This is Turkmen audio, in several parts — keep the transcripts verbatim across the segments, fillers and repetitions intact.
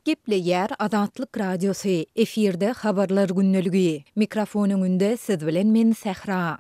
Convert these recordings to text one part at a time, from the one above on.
Gepleýär Azatlyk Radiosy, efirde Habarlar gündeligi. Mikrofon öňünde siz bilen men Sähra.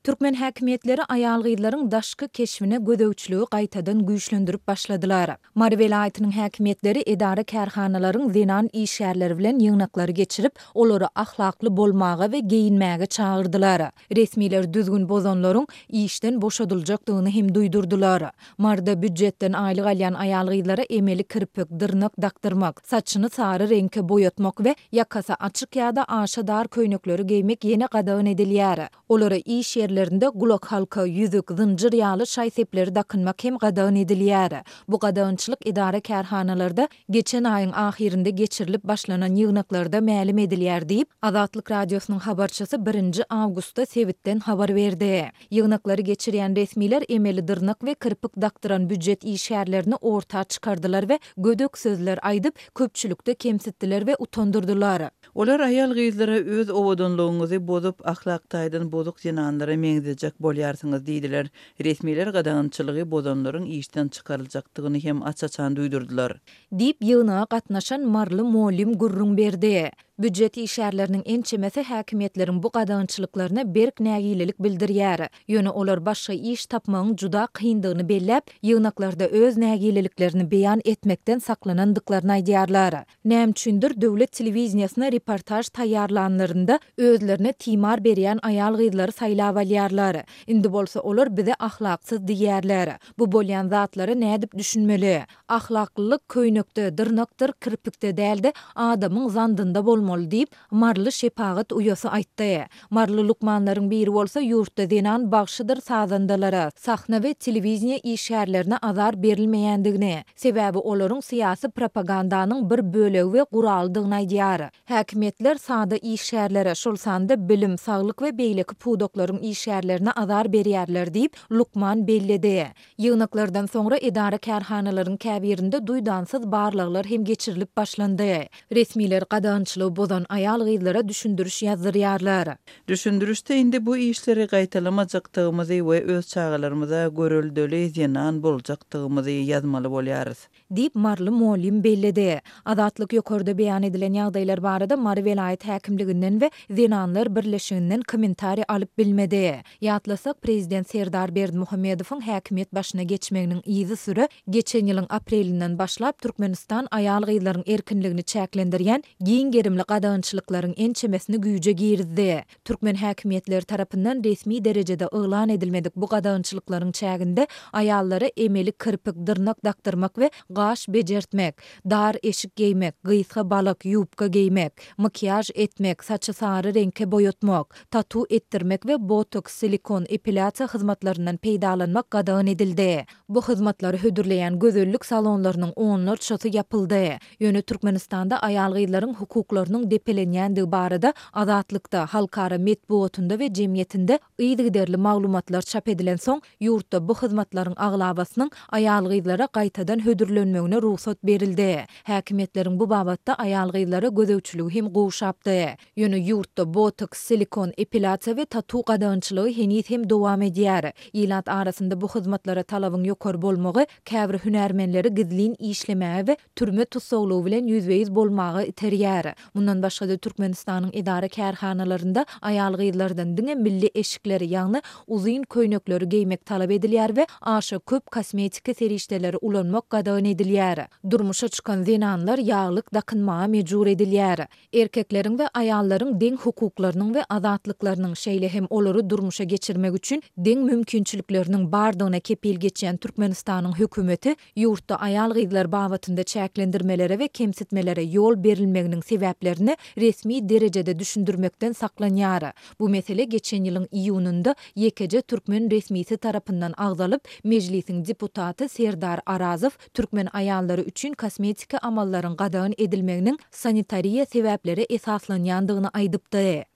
Türkmen häkimiýetleri aýal-gyzlaryň daşky keşbine gözegçiligi gaýtadan güýçlendirip başladylar. Mary welaýatynyň häkimiýetleri edara-kärhanalaryň zenan işgärleri bilen ýygnaklary geçirip, olary ahlakly bolmaga we geýinmäge çagyrdylar. Resmiler düzgün bozanlaryň işden boşadyljakdygyny hem duýdurdylar. Maryda býujetden aýlyk alýan aýal-gyzlara emeli kirpik, dyrnak dakdyrmak, saçyny sary reňke boýatmak we ýakasy açyk ýa-da aşa dar köýnekleri geýmek ýene gadagan edilýär. Olara iş ýerlerinde gulakhalka, ýüzük, zynjyr ýaly şaý-sepleri dakynmak hem gadagan edilýär. Bu gadagançylyk edara-kärhanalarda geçen aýyň ahyrynda geçirilip başlanan ýygnaklarda mälim edilýär diýip, Azatlyk Radiosynyň habarçysy birinji awgustda sebitden habar berdi. Ýygnaklary geçirýän resmiler emeli dyrnak we kirpik dakdyran býujet işgärlerini orta çykardylar we gödek sözler aýdyp, köpçülikde kemsitdiler we utandyrdylar. Olar aýal-gyzlara öz owadanlygyňyzy bozup, ahlak taýdan bozuk zenanlara meňzejek bolýarsyňyz diýdiler. Resmiler gadagançylygy bozanlaryň işden çykaryljakdygyny hem aç-açan duýdurdylar. Diýip, ýygnaga gatnaşan maryly mugallym gürrüň berdi. Býujet işgärleriniň ençemesi häkimiýetleriň bu gadagançylyklaryna berk nägilelik bildirýär. Ýöne olar başga iş tapmagyň juda kyndygyny belläp, ýygnaklarda öz nägileliklerini beýan etmekden saklanandyklaryny aýdýarlar. Näme üçindir, döwlet telewideniýesine reportaž taýýarlanlarynda özlerine timar berýän aýal-gyzlary saýlap alýarlar. Indi bolsa olar bize ahlaksyz diýýärler. Bu bolýan zatlara nädip düşünmeli? Ahlaklylyk köýnekde, dyrnakdyr kirpikde däl-de, adamyň zandynda bolmaly diýip, maryly şepagat uýasy aýtdy. Maryly lukmanlaryň biri bolsa ýurtda zenan bagşydyr sazandalara, sahna we telewideniýe işgärlerine azar berilmeýändigini, sebäbi olaryň syýasy propagandanyň bir bölegi we guralydygyny aýdýar. Häkimiýetler sada işgärlere, şol sanda bilim, saglyk we beýleki pudaklaryň işgärlerine azar berýärler diýip, lukman belledi. Ýygnaklardan soňra edara-kärhanalaryň käbirinde duýdansyz barlaglar hem geçirilip başlandy. Resmiler gadagançylygy bozan aýal-gyzlara düşündiriş ýazdyrýarlar. Düşündirişde indi bu işleri gaýtalamajakdygymyzy we öz çagalarymyza göreldeli zenan boljakdygymyzy ýazmaly bolýarys. Diýip, maryly mugallym belledi. Azatlyk ýokarda beýan edilen ýagdaýlar barada Mary welaýat häkimliginden we Zenanlar birleşiginden kommentariý alyp bilmedi. Ýatlasak, prezident Serdar Berdimuhamedowyň häkimiýet başyna geçmeginiň yzysüre geçen ýylyň aprelinden başlap Türkmenistan aýal-gyzlaryň erkinligini çäklendirýän giň gerimli gadagançylyklaryň ençemesini güýje girizdi. Türkmen häkimiýetleri tarapyndan resmi derejede yglan edilmedik bu gadagançylyklaryň çäginde aýallara emeli kirpik, dyrnak dakdyrmak we gaş bejertmek, dar eşik geýmek, gysga balak, ýubka geýmek, makiýaž etmek, saçy sary reňke boýatmak, tatu etdirmek we botoks, silikon, epilýasiýa hyzmatlaryndan peýdalanmak gadagan edildi. Bu hyzmatlary hödürleýän gözellik salonlarynyň onlarçasy ýapyldy. Ýöne Türkmenistanda aýal-gyzlaryň hukuklarynyň depelenýändigi barada Azatlykda, halkara metbugatynda we jemgyýetinde yzygiderli maglumatlar çap edilensoň, ýurtda bu hyzmatlaryň aglabasynyň aýal-gyzlara gaýtadan hödürlenmegine rugsat berildi. Häkimiýetleriň bu babatda aýal-gyzlara gözegçiligi hem gowşapdy. Ýöne ýurtda botoks, silikon, epilýasiýa we tatu gadagançylygy heniz hem dowam edýär. Ilat arasynda bu hyzmatlara talabyň ýokary bolmagy käbir hünärmenleri gizlin işlemäge we türme tussaglygy bilen ýüzbe-ýüz bolmaga iterýär. Mundan başga-da Türkmenistanyň edara-kärhanalarynda aýal-gyzlardan diňe milli eşikleri, ýagny uzyn köýnekleri geýmek talap edilýär we aşa köp kosmetiki serişdeleri ulanmak gadagan edilýär. Durmuşa çykan zenanlar ýaglyk dakynmaga mejbur edilýär. Erkekleriň we aýallaryň deň hukuklarynyň we azatlyklarynyň, şeýle hem olary durmuşa geçirmek üçin deň mümkinçilikleriniň bardygyna kepil geçýän Türkmenistanyň hökümeti ýurtda aýal-gyzlar babatynda çäklendirmelere we kemsitmelere ýol berilmeginiň sebäplerini resmi derejede düşündirmekden saklanýar. Bu mesele geçen ýylyň iýunynda ýekeje türkmen resmisi tarapyndan agzalyp, Mejlisiň deputaty Serdar Arazow türkmen aýallary üçin kosmetiki amallaryň gadagan edilmeginiň sanitariýa sebäplere esaslanýandygyny aýdypdy.